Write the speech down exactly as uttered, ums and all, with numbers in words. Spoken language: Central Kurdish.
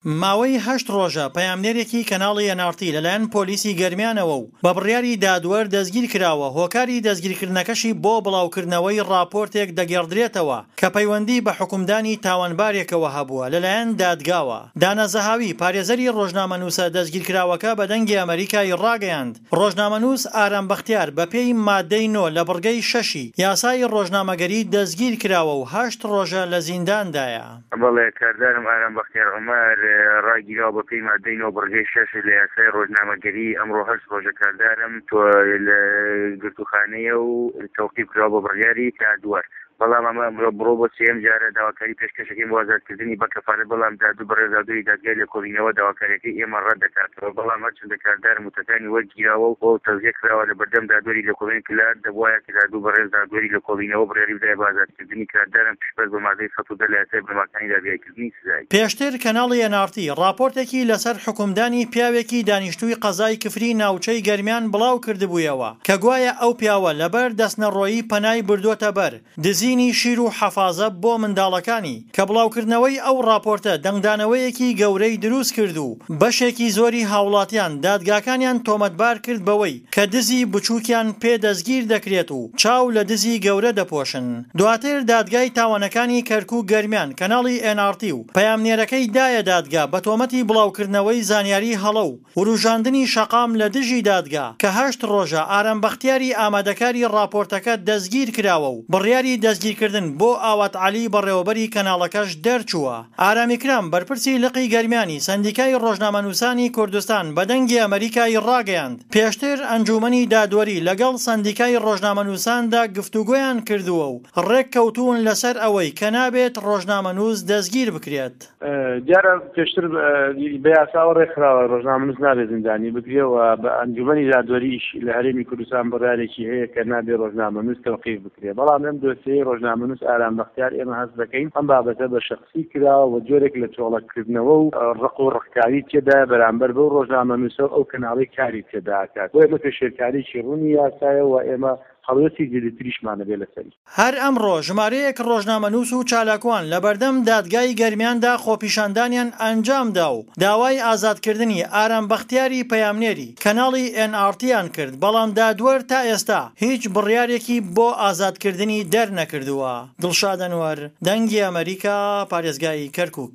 ماوەی هەشت ڕۆژە پەیامنێرێکی کەناڵی ئێن ئاڕ تی لەلایەن پۆلیسی گەرمیانەوە و بە بڕیاری دادوەر دەستگیرکراوە، هۆکاری دەستگیرکردنەکەشی بۆ بڵاوکردنەوەی ڕاپۆرتێک دەگێڕدرێتەوە کە پەیوەندی بە حوکمدانی تاوانبارێکەوە هەبووە لەلایەن دادگاوە. دانا زەهاوی، پارێزەری ڕۆژنامەنووسە دەستگیرکراوەکە بە دەنگی ئەمەریکای ڕاگەیاند، ڕۆژنامەنووس ئارام بەختیار بەپێی مادەی نۆ لە بڕگەی شەشی یاسای ڕۆژنامەگەری دەستگیرکراوە و هەشت ڕۆژە لە زینداندایە. بەڵێ، کاردارم ئارام بەختیار عومەر ڕاگیراوە بەپێی مادەی نۆ بڕگەی شەش لە یاسای ڕۆژنامەگەری، ئەمڕۆ هەشت ڕۆژە کاردارم لە گرتووخانەیە و تەوقیف کراوە بە بڕیاری دادوەر، بەڵام ئەمە ئەمڕۆ بڕۆ بۆ سێیەم جارە داواکاری پێشکەشەکەین بۆ ئازادکردنی بە کەفالەت، بەڵام دادو بەڕێز دادوەری دادگای لێکۆڵینەوە داواکاریەکەی ئێمە ڕەت دەکاتەوە، بەڵام هەرچەندە کاردارم وتەکانی وەرگیراوە و تەزیە کراوە لە بەردەم دادوەری لێکۆڵینەوەی کلار، دەبوایە کە دادو بەڕێز دادوەری لێکۆڵینەوە بڕیاری بدایە بە ئازادکردنی کاردارم پشتبەست بە مادەی سەد و دە لە یاسای بنەماکانی دادگایکردنی سزایی. پێشتر کەناڵی ئێن ئاڕ تی ڕاپۆرتێکی لەسەر حوکمدانی پیاوێکی دانیشتووی قەزای کفری ناوچەی گەرمیان بڵاو کردبوویەوە کە گوایە ئەو پیاوە لەبەر دەستنەڕۆیی پەنای بردۆتە بەر دزینی شیر و حەفازە بۆ منداڵەکانی، کە بڵاوکردنەوەی ئەو ڕاپۆرتە دەنگدانەوەیەکی گەورەی دروست کرد و بەشێکی زۆری هاوڵاتیان دادگاکانیان تۆمەتبار کرد بەوەی کە دزی بچووکیان پێ دەستگیر دەکرێت و چاو لە دزی گەورە دەپۆشن. دواتر دادگای تاوانەکانی کەرکوک گەرمیان کەناڵی ئێن ئاڕ تی و پەیامنێرەکەی دایە دادگا بە تۆمەتی بڵاوکردنەوەی زانیاری هەڵە و وروژاندنی شەقام لە دژی دادگا کە هەشت ڕۆژە ئارام بەختیاری ئامادەکاری ڕاپۆرتەکە دەستگیرکراوە و بڕیاری دەستگیرکردن بۆ ئاوات عەلی بەڕێوەبەری کەناڵەکەش دەرچووە. ئارام ئیکرام بەرپرسی لقی گەرمیانی سەندیکای ڕۆژنامەنووسانی کوردستان بە دەنگی ئەمەریکای ڕاگەیاند، پێشتر ئەنجوومەنی دادوەری لەگەڵ سەندیکای ڕۆژنامەنووساندا گفتوگۆیان کردووە و ڕێککەوتوون لەسەر ئەوەی کە نابێت ڕۆژنامەنووس دەستگیر بکرێت. دیارە پێشتر بە یاساوە ڕێکخراوە ڕۆژنامەنووس نابێت زیندانی بکرێ و بە ئەنجومەنی دادوەریش لە هەرێمی کوردستان بڕیارێکی هەیە کە نابێ ڕۆژنامەنووس تەوقیف بکرێ، بەڵام لەم دۆسیەی ڕۆژنامەنووس ئارام بەختیار ئێمە هەست دەکەین ئەم بابەتە بە شەخسی کراوە و جۆرێک لە تۆڵەکردنەوە و ڕق و ڕقکاری تێدایە بەرامبەر بەو ڕۆژنامەنووسە و ئەو کەناڵەی کاری تێدا ئەکات، بۆیە ئەمە پێشێلکاریی ڕوونی یاسایە و ئێمە هەڵوێستی جدیتریشمان ئەبێ لەسەری. هەر ئەمڕۆ ژمارەیەک ڕۆژنامەنووس و چالاکوان لەبەردەم دادگای گەرمیاندا خۆپیشاندانیان ئەنجامدا و داوای ئازادکردنی ئارام بەختیاری پەیامنێری کەناڵی ئێن ئاڕ تیان کرد، بەڵام دادوەر تا ئێستا هیچ بڕیارێکی بۆ ئازادکردنی دەرنەکردووە. دڵشاد ئەنوەر، دەنگی ئەمەریکا، پارێزگای کەرکوک.